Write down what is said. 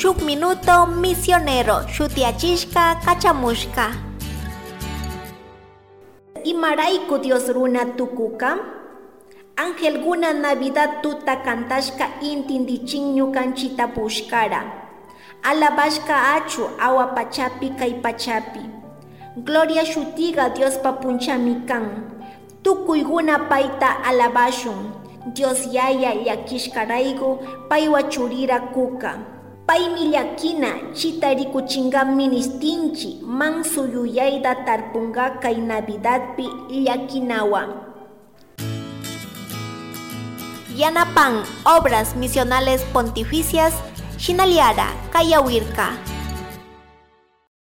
Shuk Minuto Misionero shutiyachishka kachamushka. Imarayku Dios runa tukuka? Angelguna Navidad tuta kantashka intindichin ñukanchita pushkara. Alabashka achu awa pachapi kay pachapi. Gloria shutiga Diospa punchami kan. Tukuyguna payta alabashun. Dios yaya llakishkarayku paywa churira kuka. Paymi llakina chita rikuchinga ministinchi manso yuyayta tarpunga kay Navidadpi llakinawa. Yanapan Obras Misionales Pontificias, Shinaliara, Kayawirka.